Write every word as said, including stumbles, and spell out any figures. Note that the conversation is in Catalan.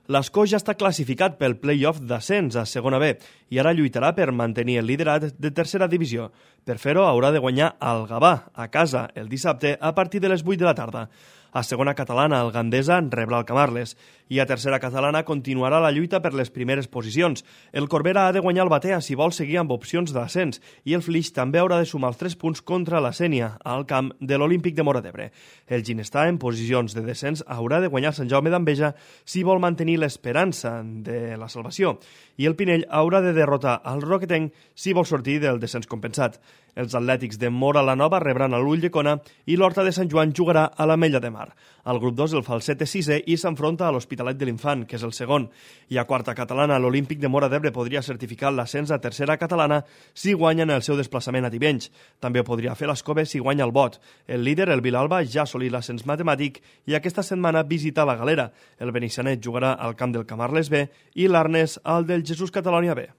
L'Escó ja està classificat pel play-off d'ascens a segona B i ara lluitarà per mantenir el liderat de tercera divisió. Per fer-ho haurà de guanyar al Gavà, a casa, el dissabte a partir de les vuit de la tarda. A segona catalana, el Gandesa rebrà el Camarles i a tercera catalana continuarà la lluita per les primeres posicions. El Corbera ha de guanyar el Batea si vol seguir amb opcions d'ascens i el Flix també haurà de sumar els tres punts contra la Sénia al camp de l'Olímpic de Móra d'Ebre. El Ginestar, en posicions de descens, haurà de guanyar Sant Jaume d'Enveja si vol mantenir l'esperança de la salvació i el Pinell haurà de derrotar el Roquetenc si vol sortir del descens compensat. Els Atlètics de Móra la Nova rebran a l'Ulldecona i l'Horta de Sant Joan jugarà a l'Ametlla de Mar. Al grup dos, el Falset és sisè i s'enfronta a l'Hospitalet de l'Infant, que és el segon. I a quarta catalana, l'Olímpic de Móra d'Ebre podria certificar l'ascens a tercera catalana si guanyen el seu desplaçament a Tivenys. També ho podria fer l'Escove si guanya el Bot. El líder, el Vilalba, ja ha assolit l'ascens matemàtic i aquesta setmana visita la Galera. El Benissanet jugarà al camp del Camarles B i l'Arnes al del Jesús Catalònia B.